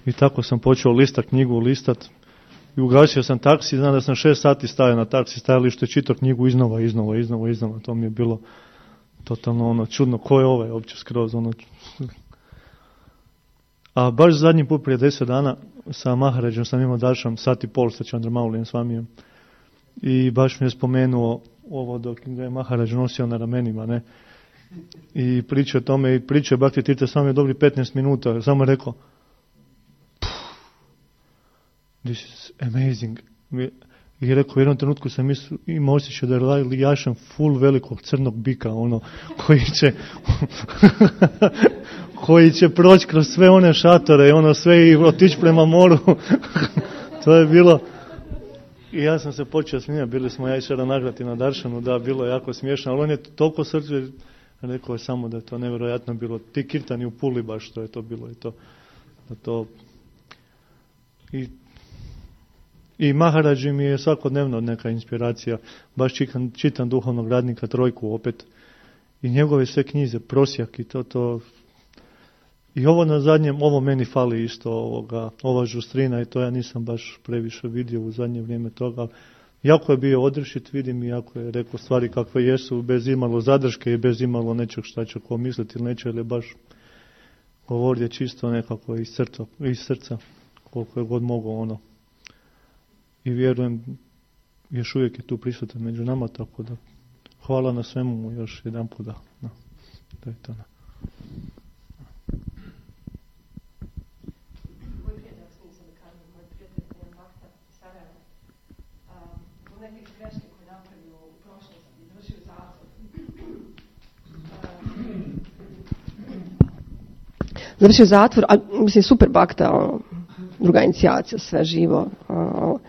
Speaker 7: I tako sam počeo listat knjigu, listat i ugasio sam taksi, znam da sam šest sati stajao na taksi stajalištu i čitao knjigu iznova, iznova, iznova, iznova, to mi je bilo totalno ono čudno, ko je ovaj uopće skroz ono. A baš zadnji put prije deset dana sa Maharađom sam imao dašam sat i pol sa Čandramaulijem Swamijem i baš mi je spomenuo ovo dok ga je Maharađ nosio na ramenima, ne? I priča o tome i priča je Bhakti Tirtha Swami dobri petnaest minuta, samo je rekao this is amazing. I rekao, u jednom trenutku sam imao osjećaj da je lijašan full velikog crnog bika, ono, koji će koji će proći kroz sve one šatore i ono sve i otići prema moru. To je bilo, i ja sam se počeo smijati, bili smo ja i Šara Nagrati na Daršanu, da, bilo je jako smiješno, ali on je toliko srce, rekao je samo da je to nevjerojatno bilo, ti kirtani u Puli baš, što je to bilo i to, da to, i I Maharađi mi je svakodnevno neka inspiracija, baš čitam, čitam Duhovnog radnika trojku opet i njegove sve knjize, prosjak i to, to. I ovo na zadnjem, ovo meni fali isto, ovoga, ova žustrina i to ja nisam baš previše vidio u zadnje vrijeme toga. Jako je bio odrešit, vidim i jako je rekao stvari kakve jesu, bez imalo zadrške i bez imalo nečeg šta će ko misliti ili neće, ili baš govorio čisto nekako iz srca, iz srca koliko je god mogao ono. I vjerujem, još uvijek je tu prisutan među nama, tako da hvala na svemu mu još jedan put da. No, to je to. No.
Speaker 1: Završio zatvor, a mislim super bakta, ono, druga inicijacija, sve živo. Ono,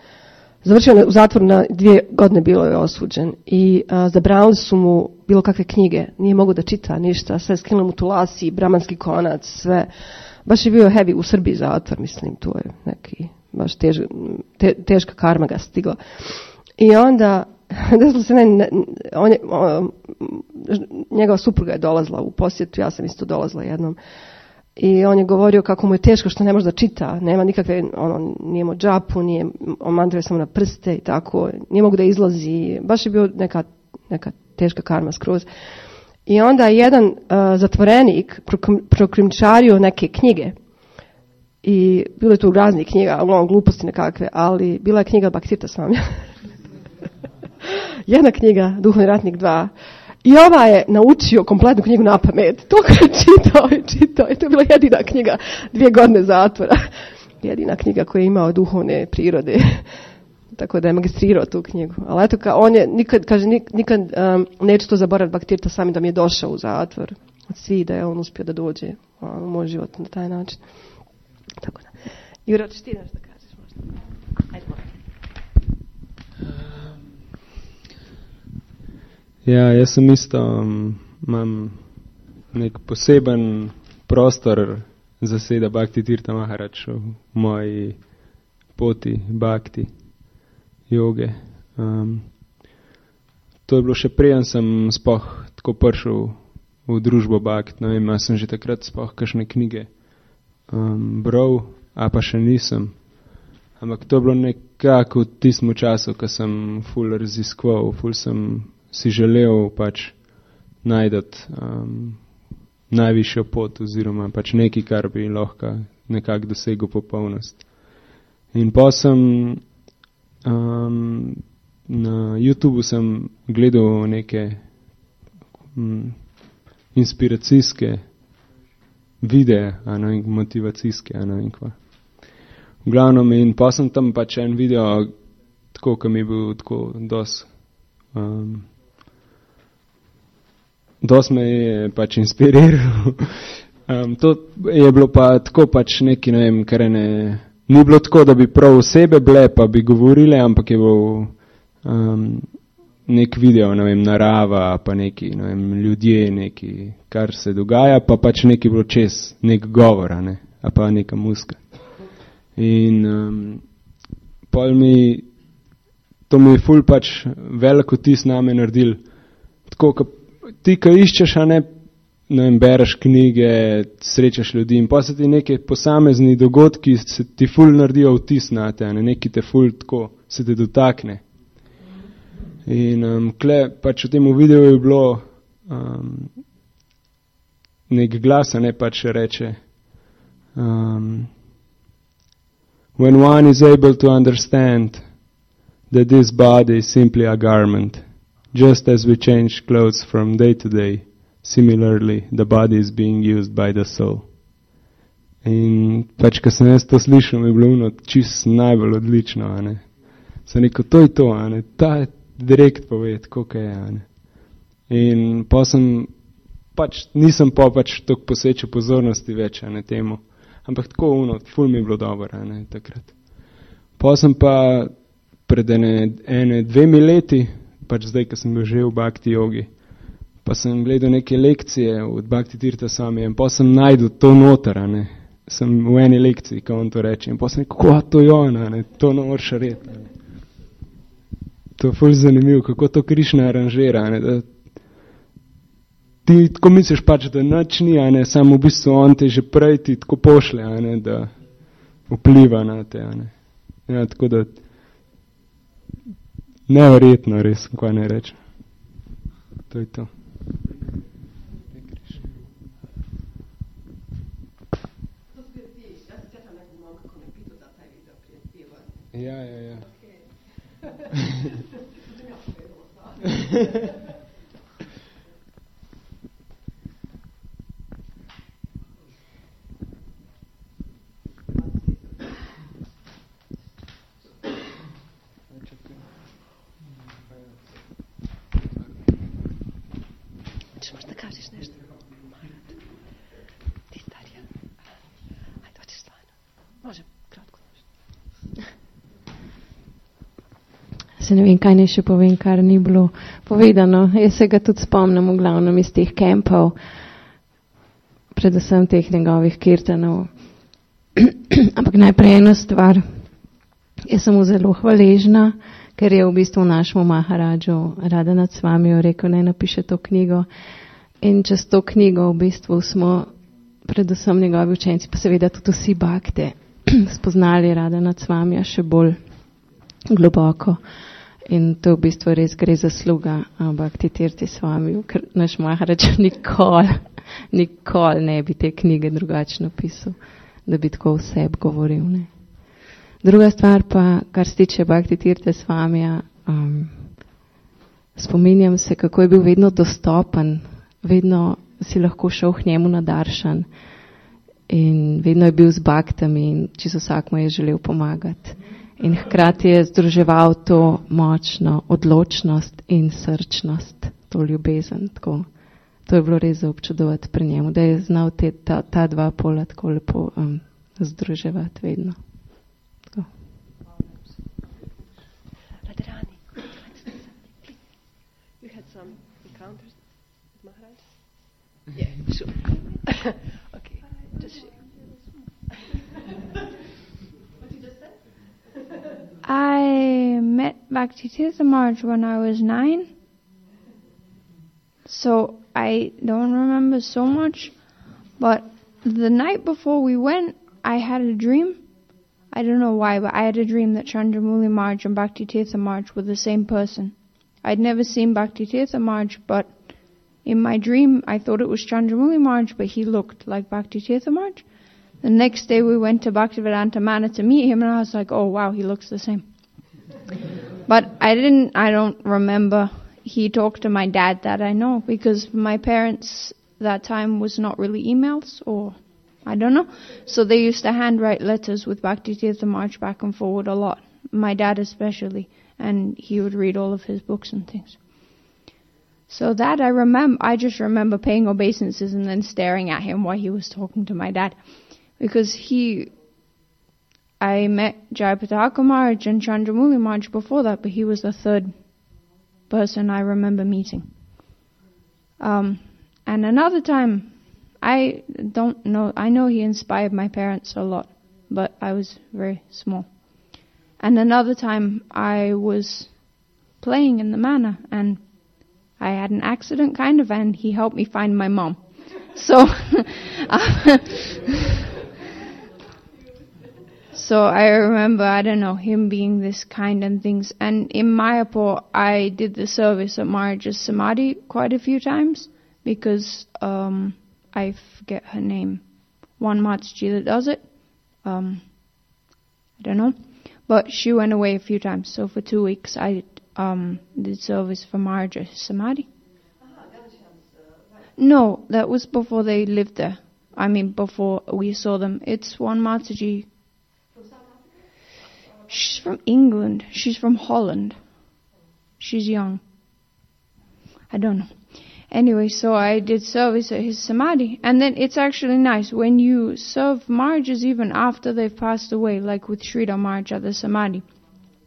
Speaker 1: završio u zatvoru na dvije godine, bilo je osuđen i a, zabranili su mu bilo kakve knjige, nije mogao da čita ništa, sve skinuli mu tulasi, bramanski konac, sve. Baš je bio heavy u Srbiji zatvor, mislim, tu je neki baš tež, te, teška karma ga stigla. I onda desilo se ne, on je, on, njegova supruga je dolazila u posjetu, ja sam isto dolazila jednom. I on je govorio kako mu je teško što ne može da čita, nema nikakve, ono, nije imao džapu, nije, on mantruje samo na prste i tako, nije mogu da izlazi, baš je bio neka, neka teška karma skroz. I onda je jedan uh, zatvorenik prokrimčario neke knjige i bilo je tu raznih knjiga, ali on gluposti nekakve, ali bila je knjiga Bhakti Tirtha Swamija. Jedna knjiga, Duhovni ratnik dva. I ova je naučio kompletnu knjigu na pamet. To kad je čitao i čitao. I to je bila jedina knjiga, dvije godine zatvora. Jedina knjiga koja je imao duhovne prirode. Tako da je magistrirao tu knjigu. Ali eto, ka, on je, nikad, kaže, nikad um, neću to zaboraviti Bhakti Tirtha Swami da mi je došao u zatvor. Od svi da je on uspio da dođe u moj život na taj način. Tako da. Jura, ćeš ti nešto kažeš možda? Ajde, moram.
Speaker 8: Ja, jaz sem isto, um, imam nek poseben prostor zaseda Bhakti Tirtha Maharaj v moji poti Bhakti joge. Um, to je bilo še preden sem spoh tako prišel v družbo Bhakti. Ne vem, sem že takrat spoh kakšne knjige um, bral, a pa še nisem. Ampak to je bilo nekako v tistem času, ko sem ful raziskoval, ful sem si želel pač najdati um, najvišjo pot oziroma pač nekaj, kar bi lahko nekako dosegel popolnost. In pa sem um, na YouTubeu sem gledal neke um, inspiracijske videe, a ne vem, motivacijske, a ne vem kva. V glavnem, in pa sem tam pač en video, tako, ki mi je bil tako dosti um, Dost me je pač inspiriral Um, to je bilo pa tako pač neki, ne vem, kar ne, ni bilo tako, da bi prav osebe bile, pa bi govorile, ampak je bil um, nek video, ne vem, narava, pa neki, ne vem, ljudje, neki, kar se dogaja, pa pač neki bilo čez, nek govora, ne, a pa neka muska. In um, pol mi, to mi je ful pač veliko tis name naredil. Tako, ka, ti, ka iščeš, a ne, ne vem, bereš knjige, srečaš ljudi in pa se ti neke posamezni dogodki se ti ful naredijo vtis na te, a ne, neki te ful tako, se te dotakne. In um, kle, pač v tem videu je bilo um, nek glas, a ne, pač reče um, when one is able to understand that this body is simply a garment, just as we change clothes from day to day, similarly the body is being used by the soul. In pač, ko sem jaz to slišal, mi je bilo ono čist najbolj odlično, a ne. Sem rekel, to je to, a ne, ta je direkt poved, koliko je, a ne. In pa sem, pač nisem pa pač toliko posvečal pozornosti več, a ne, temu. Ampak tako ono, ful mi je bilo dobro, a ne, takrat. Pa sem pa pred ene, ene dvemi leti, pač zdaj, ko sem bil že v Bhakti jogi, pa sem gledal neke lekcije od Bhakti Tirtha Swamija in pa sem najdel to noter, a ne. Sem v eni lekciji, ko on to reče. In pa sem rekel, kako to je on, a ne, to ne moraš reti, a ne. To je ful zanimivo, kako to Krišna aranžira, a ne, da ti tako misliš pač, da nič ni, a ne, samo v bistvu on te že prej ti tako pošle, a ne, da vpliva na te, a ne. Ja, tako da neverjetno res, kaj ne rečem. To je to. Ja, ja, ja.
Speaker 1: Možda kažeš nešto? Ti starija. Ajde, hoćeš stvarno. Može, kratko nešto.
Speaker 9: Se ne vem, kaj ne še povem, kar ni bilo povedano. Jaz se ga tudi spomnim v glavnem iz teh kempov, predvsem teh njegovih kirtanov. Ampak najprej eno stvar. Jaz sem mu zelo hvaležna, ker je v bistvu našemu Maharadžu Radhanath Swamiju rekel, naj napiše to knjigo. In čez to knjigo v bistvu smo predvsem njegovi učenci, pa seveda tudi vsi bakte, spoznali Radhanath Swamija še bolj globoko. In to v bistvu res gre zasluga Bhakti Tirthi Swamiju, ker naš Maharadž nikoli, nikoli ne bi te knjige drugače napisal, da bi tako o sebi govoril, ne. Druga stvar pa, kar se tiče Bhakti Tirtha Swamija, um, spominjam se, kako je bil vedno dostopen, vedno si lahko šel k njemu na daršan in vedno je bil z baktami in čisto vsak mu je želel pomagati. In hkrati je združeval to močno odločnost in srčnost, to ljubezen. Tako. To je bilo res za občudovati pri njemu, da je znal te, ta, ta dva pola tako lepo um, združevati vedno. Tako.
Speaker 1: Radharani, you had some encounters with Maharaj? Yeah, sure. Okay, just share. What you just said?
Speaker 10: I met Bhakti Tirtha Maharaj when I was nine, so I don't remember so much, but the night before we went, I had a dream. I don't know why, but I had a dream that Chandramouli Maharaj and Bhakti Tirtha Maharaj were the same person. I'd never seen Bhakti Tirtha Maharaj, but in my dream I thought it was Chandramouli Maharaj, but he looked like Bhakti Tirtha Maharaj. The next day we went to Bhaktivedanta Mana to meet him, and I was like, oh wow, he looks the same. But I didn't, I don't remember. He talked to my dad, that I know, because my parents that time was not really emails, or I don't know. So they used to handwrite letters with Bhakti Tirtha Maharaj back and forward a lot. My dad especially, and he would read all of his books and things. So that I remember, I just remember paying obeisances and then staring at him while he was talking to my dad. Because he, I met Jayapataka Maharaj and Chandramuli Maharaj before that, but he was the third person I remember meeting. Um, and another time, I don't know, I know he inspired my parents a lot, but I was very small. And another time, I was playing in the manor, and I had an accident, kind of, and he helped me find my mom. So, so I remember, I don't know, him being this kind and things. And in Mayapur, I did the service at Maharaj's Samadhi quite a few times, because um, I forget her name. One Mataji that does it. Um, I don't know. But she went away a few times, so for two weeks I um, did service for Maharaj's Samadhi. No, that was before they lived there. I mean, before we saw them. It's one Mataji. She's from England. She's from Holland. She's young. I don't know. Anyway, so I did service at his Samadhi. And then it's actually nice when you serve Maharajas even after they've passed away, like with Sridhar Maharaj at the Samadhi.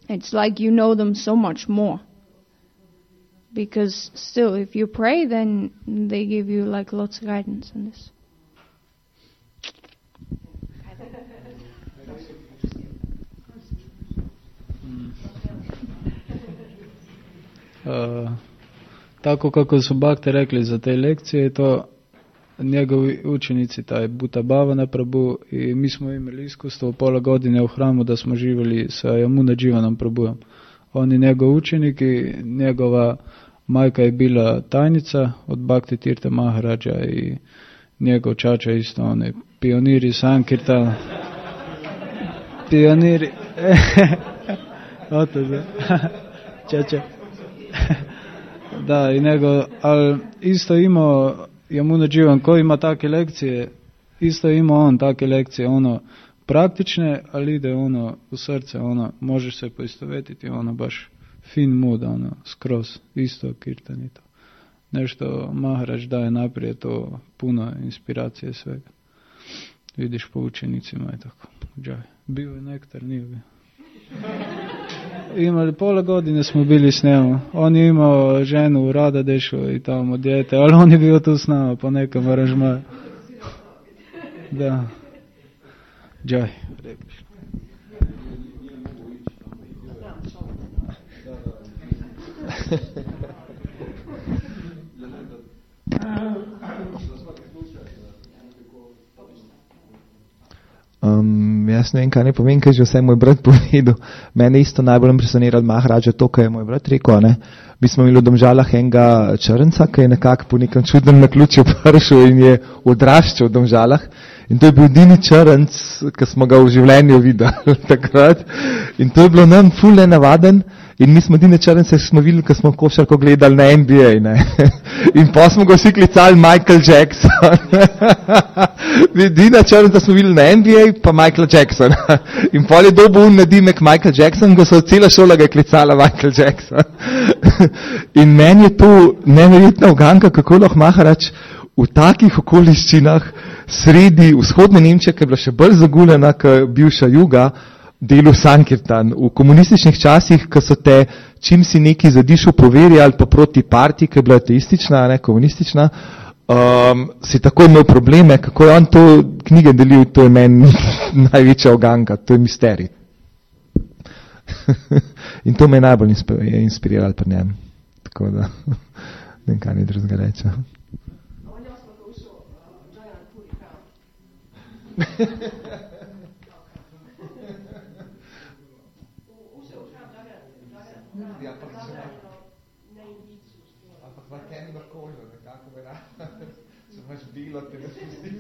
Speaker 10: It's like you know them so much more. Because still, if you pray, then they give you like lots of guidance on this.
Speaker 11: Uh, tako kako su bakte rekli za te lekcije, to njegovi učenici, taj Bhuta Bhavana Prabhu, i mi smo imali iskustvo pola godine u hramu da smo živjeli sa Yamuna Jivanom Prabhuom. On je njegov učenik i njegova majka je bila tajnica od Bhakti Tirtha Maharaja i njegov čača isto, on je pioniri Sankirtana. Pioniri. Oto da. Čača. Da, i nego, ali isto imao Yamuna Jivan koji ima takve lekcije, isto imao on takve lekcije, ono, praktične, ali ide ono u srce, ono, možeš se poistovetiti, ono, baš fin mood, ono, skroz, isto kirtan i to. Nešto Maharaj daje naprijed, to puno inspiracije svega. Vidiš po učenicima i tako. Džaj. Bio je nektar, nije bio. Imali pola godine smo bili s njemu. On je imao ženu u Radadešu i tamo dijete, ali on je bio tu s nama po nekom aranžmaju. Da. Džaj.
Speaker 12: Um, jaz ne vem, kaj ne povem, kaj že vse moj brat povedal. Mene isto najbolj impresioniral Maharaja to, kaj je moj brat rekel. Ne? Mi smo imeli v Domžalah enega črnca, ki je nekako po nekem čudnem naključju prišel in je odraščal v Domžalah. In to je bil edini črnc, ki smo ga v življenju videli takrat. In to je bilo nam ful nenavaden. In mi smo edine črnce smo videli, ko smo košarko gledali na N B A. Ne? In pa smo ga vsi klicali Michael Jackson. Edina črnca smo videli na N B A, pa Michael Jackson. In pol je dobil un nadimek Michael Jackson, ko so cela šola ga klicala Michael Jackson. In meni je to neverjetna uganka, kako lahko Maharaj v takih okoliščinah sredi vzhodne Nemčije, ki je bila še bolj zaguljena, kot bivša juga, delu Sankirtan. V komunističnih časih, ko so te, čim si neki zadišel po veri ali pa proti partiji, ki je bila ateistična, ne komunistična, um, si tako imel probleme, kako je on to knjige delil, to je meni največja oganka, to je misterij. In to me je najbolj inspiriralo pri njem. Tako da, ne vem, kaj ni drugega reče. Ja, pa če ne indicu. Ampak v temno kožo, nekako vera. Če imaš bilo, te ne spustiš.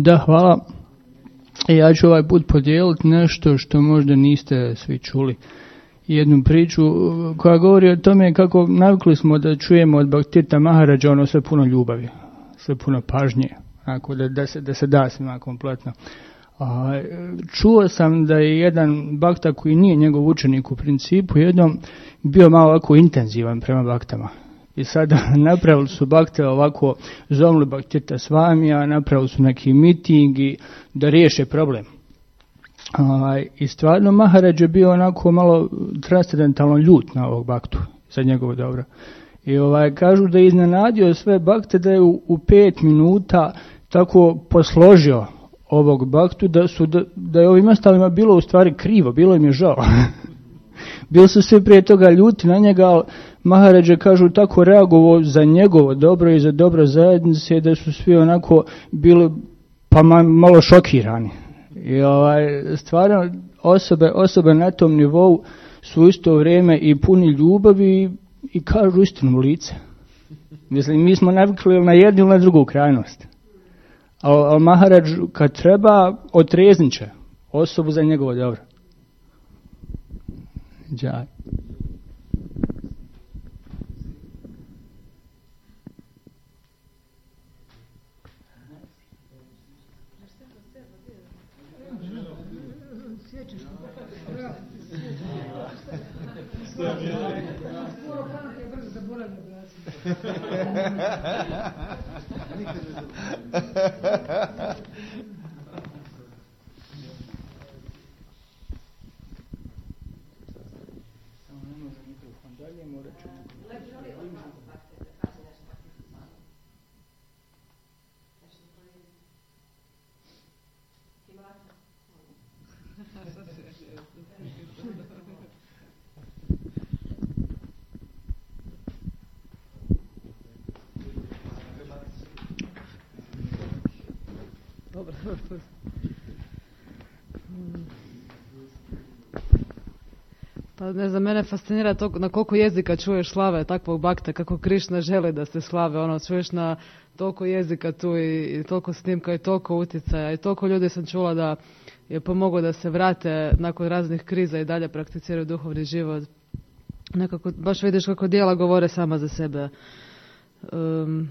Speaker 13: Da, hvala. Ja ću ovaj put podijeliti nešto što možda niste svi čuli. jednu priču koja govori o tome kako navikli smo da čujemo od Bhaktirtha Maharaja ono sve puno ljubavi, sve puno pažnje, ako da, da, se, da se da svima kompletno. A, čuo sam da je jedan bakta koji nije njegov učenik u principu jednom bio malo ovako intenzivan prema baktama. I sada napravili su bakte ovako, zovnuli Bhaktirtha Swamija, napravili su neki mitingi da riješe problem. A, I stvarno Maharaj je bio onako malo transcendentalno ljut na ovog baktu za njegovo dobro. I ovaj, kažu da je iznenadio sve bakte, da je u, u pet minuta tako posložio ovog baktu, da, su, da, da je ovim ostalima bilo u stvari krivo, bilo im je žao. Bili su svi prije toga ljuti na njega, ali Maharađe kažu tako reagovao za njegovo dobro i za dobro zajednice, da su svi onako bili pa malo šokirani. I ovaj, stvarno osobe, osobe na tom nivou su u isto vrijeme i puni ljubavi i, i kažu istinu u lice. Mislim, mi smo navikli na jednu ili na drugu krajnost. Ali al Maharaj kad treba otreznit će osobu za njegovo dobro. Džaj.
Speaker 14: Pa ne znam, mene fascinira to na koliko jezika čuješ slave takvog bakta, kako Krišna želi da se slave, ono, čuješ na toliko jezika tu i, i toliko snimka i toliko utjecaja i toliko ljudi sam čula da je pomoglo da se vrate nakon raznih kriza i dalje prakticiraju duhovni život. Nekako, baš vidiš kako djela govore sama za sebe. Um,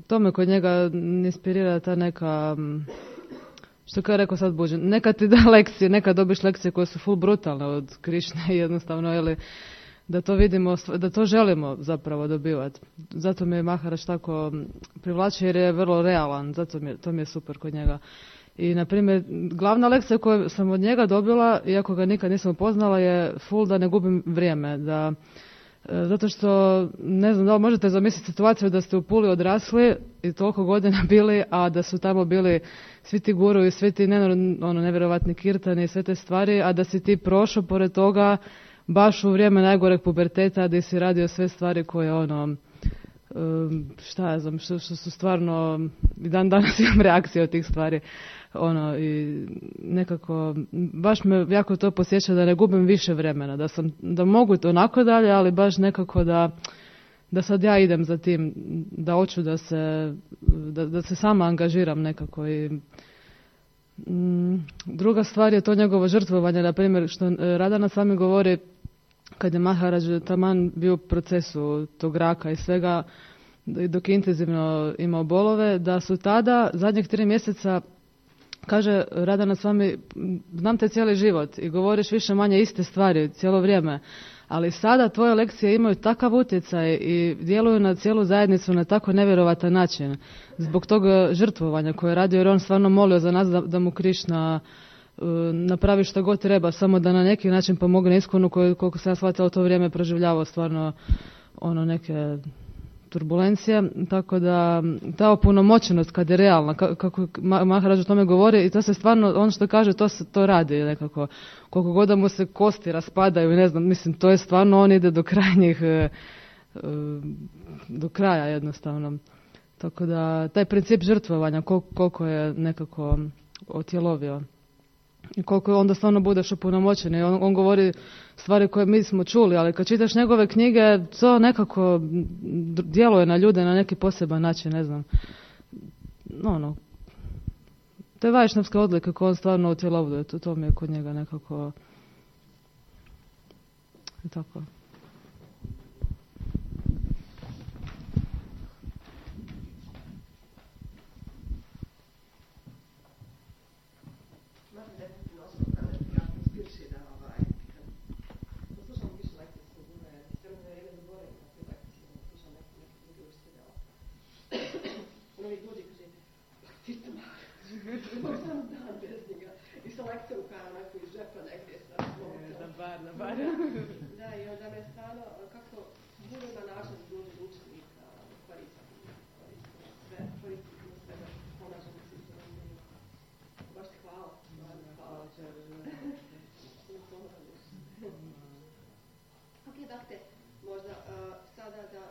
Speaker 14: to me kod njega inspirira ta neka... Što kao je rekao sad Buđen, neka ti da lekcije, neka dobiš lekcije koje su full brutalne od Krišne jednostavno, ili da to vidimo, da to želimo zapravo dobivati. Zato mi je Maharaj tako privlači jer je vrlo realan, zato mi je, to mi je super kod njega. I na primjer, glavna lekcija koju sam od njega dobila, iako ga nikad nisam upoznala, je full da ne gubim vrijeme, da zato što, ne znam da li možete zamisliti situaciju da ste u Puli odrasli i toliko godina bili, a da su tamo bili svi ti guru i svi ti ono, nevjerovatni kirtani i sve te stvari, a da si ti prošao pored toga baš u vrijeme najgoreg puberteta gdje si radio sve stvari koje ono, šta ja znam, što, što su stvarno, i dan danas imam reakcije od tih stvari. Ono, i nekako, baš me jako to posjeća da ne gubim više vremena, da sam, da mogu onako dalje, ali baš nekako da, da sad ja idem za tim, da hoću da se, da, da se sama angažiram nekako i mm, druga stvar je to njegovo žrtvovanje, na primjer, što Radhana sami govori kad je Maharaj taman bio u procesu tog raka i svega, dok je intenzivno imao bolove, da su tada zadnjih tri mjeseca, kaže Radhana s vami, znam te cijeli život i govoriš više manje iste stvari cijelo vrijeme, ali sada tvoje lekcije imaju takav utjecaj i djeluju na cijelu zajednicu na tako nevjerovatan način. Zbog tog žrtvovanja koje je radio, jer on stvarno molio za nas da, da mu Krišna uh, napravi što god treba, samo da na neki način pomogne Iskonu koju, koliko se ja shvatila, u to vrijeme proživljavao stvarno ono neke turbulencije, tako da ta opunomoćenost kad je realna, kako Maharaj o tome govori, i to se stvarno, on što kaže, to se to radi nekako. Koliko god da mu se kosti raspadaju, ne znam, mislim, to je stvarno, on ide do krajnjih, do kraja jednostavno. Tako da, taj princip žrtvovanja, koliko je nekako otjelovio. I koliko onda stvarno budeš opunomoćen. I on, on govori stvari koje mi smo čuli, ali kad čitaš njegove knjige, to nekako djeluje na ljude na neki poseban način, ne znam. Ono, te vajšnavske odlike koje on stvarno utjelovljuje, to, to mi je kod njega nekako I tako.
Speaker 1: Da, i onda me stano, kako bude ima način da dođe učenika, koristiti, koristiti sve, koristiti sve da pomažemo svi što nam imaju. Baš ti hvala. Hvala. Ok, dakle, možda sada da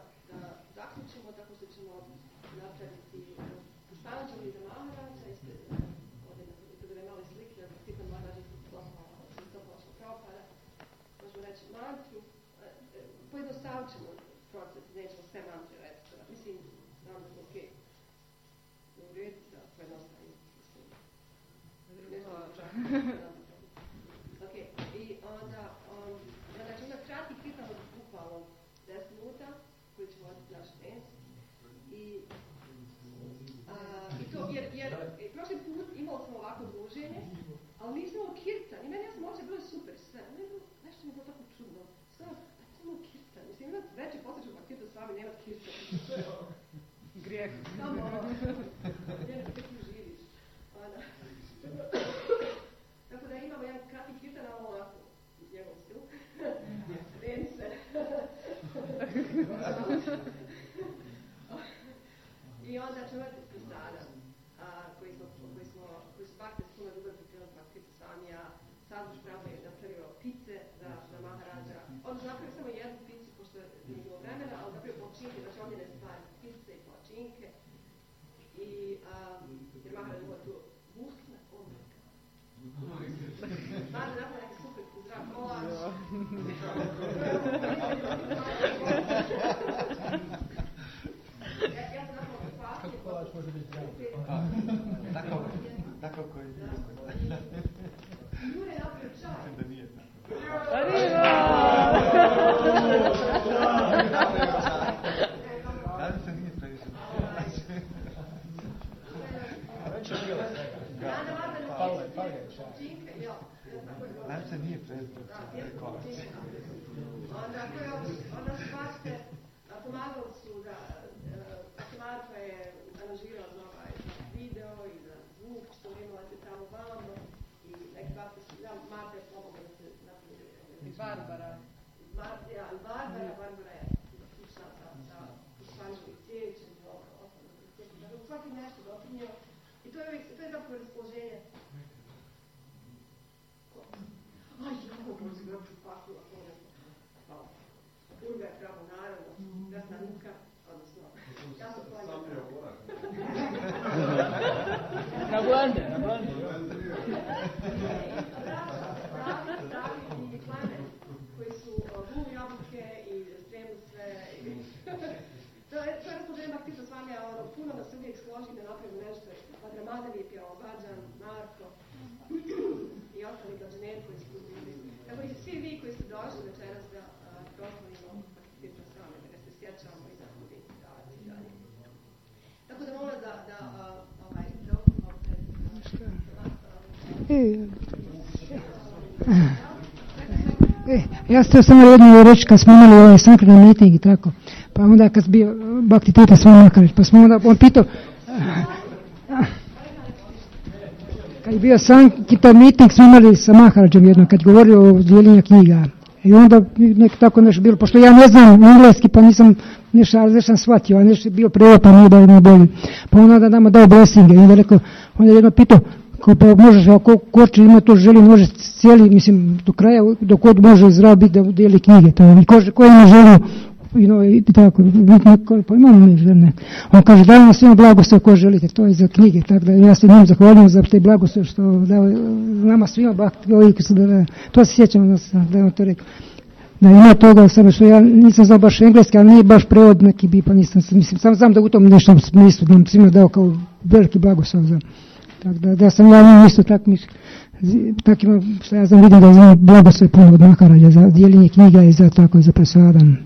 Speaker 1: zaključimo tako što ćemo napraviti Pušpanđeli za Maharađa, ovdje kada je mali slike, da Titan Maharađa isto počeo propada. Možemo reći mantru, pojednostavit ćemo proces, nećemo sve mantre reći. Mislim, znam da smo ok. U redu da pojednostavimo. Ok, i onda, znači onda kratki kritan od bukvalno deset minuta, koji ćemo oditi naš dens. I, i to, jer, jer prošli put imali smo ovako druženje, ali nismo imali kirtan. I meni ja sam ovdje bilo super sve. Nešto mi je bilo tako čudno. Sve, samo kirtan. Mislim, imati veći posjeću pa kirtan s vami, nemati kirtan. To je ovo. Grijeh. Samo ovo. Jedan kako ti živiš. Tako da imamo jedan kratki kirtan, ali ovako, njegov stil. Dance. I onda ćemo imati pisana, koji smo, koji smo, koji su bakte s puno ljubav pripremili baktitu samija. Sad už pravo je napravio pice za, za Maharađa. On je napravio samo jednu picu, pošto nije bilo vremena, ali napravio palačinke, znači omljene stvari, pice i palačinke. I, um, jer Maharađ ima tu muskna omljaka. Maharađ napravio neki super zdrav kolač. Ja, ja sam napravio papir. Kako kolač može biti zdrav? Tako, tako koji je. Jure je napravio čaj. Da nije tako. Arriva! Da se nije previše. Pale, pale čaj. Da se nije previše. Onda su bašte, pomagali su da Marko je aranžirao za ovaj video i za zvuk, što imala se tamo vamo. I neki bakte su, ja, Marta je pomogla da se napravi. I Barbara. Marta, ja, i Barbara, Barbara je slušala sa Pušpanđeli cijećem i ovo, ostalo da cijećem. Dakle, svaki nešto doprinio. I to je, to je zapravo raspoloženje. Aj, ja ovo možda gledati pakula, hvala. Urga je pravo, naravno, jasna ruka, odnosno, ja sam planila.
Speaker 13: Na blande, na blande.
Speaker 1: I klane koji su gulu jabuke i spremili sve. To je raspoloženje Baktita s vami, a ono, puno nas se uvijek složi da napravimo nešto. Madramadan je pjevao, Bađan, Marko i ostali Bađaneri koji su bili. Tako i svi vi koji ste došli večeras da proslavimo Baktita s vami, da ga se sjećamo i da budete davati dalje. Tako da molim da, da ovaj, da okupimo pred
Speaker 3: E, ja sam samo jednu reći kad smo imali ovaj sankran meeting i tako, pa onda kad bio Baktita s vama, pa smo onda, on pitao, kad je bio sankran meeting smo imali sa Maharađom jednom, kad je govorio o dijeljenju knjiga. I onda nek tako nešto bilo, pošto ja ne znam engleski, pa nisam nešto, ali nešto sam shvatio, a nešto je bio prevod, pa nije da bolje. Pa onda da nama dao blessinge i onda rekao, onda je jedno pitao, kao pa možeš, ako ko će ima to želi, može cijeli, mislim, do kraja, dok god može zdrav biti da dijeli knjige, to je, ko, ko ima želio, i, no, i tako, pa imamo mi žene. On kaže, daj nam svima blagoslov ko želite, to je za knjige, tako da ja se njim zahvaljujem za te blagoslov što dao nama svima bakti, to se sjećam da sam, da je on to rekao. Da ima toga, samo što ja nisam znao baš engleski, ali nije baš prevod neki bi, pa nisam, mislim, sam znam da u tom nešto smislu nam svima dao kao veliki blagoslov za Tak da, da sam ja njim isto tak, mis, tak ima, što ja sam vidio da znam blagoslov puno od Maharađa za dijeljenje knjiga i za tako i za presadan.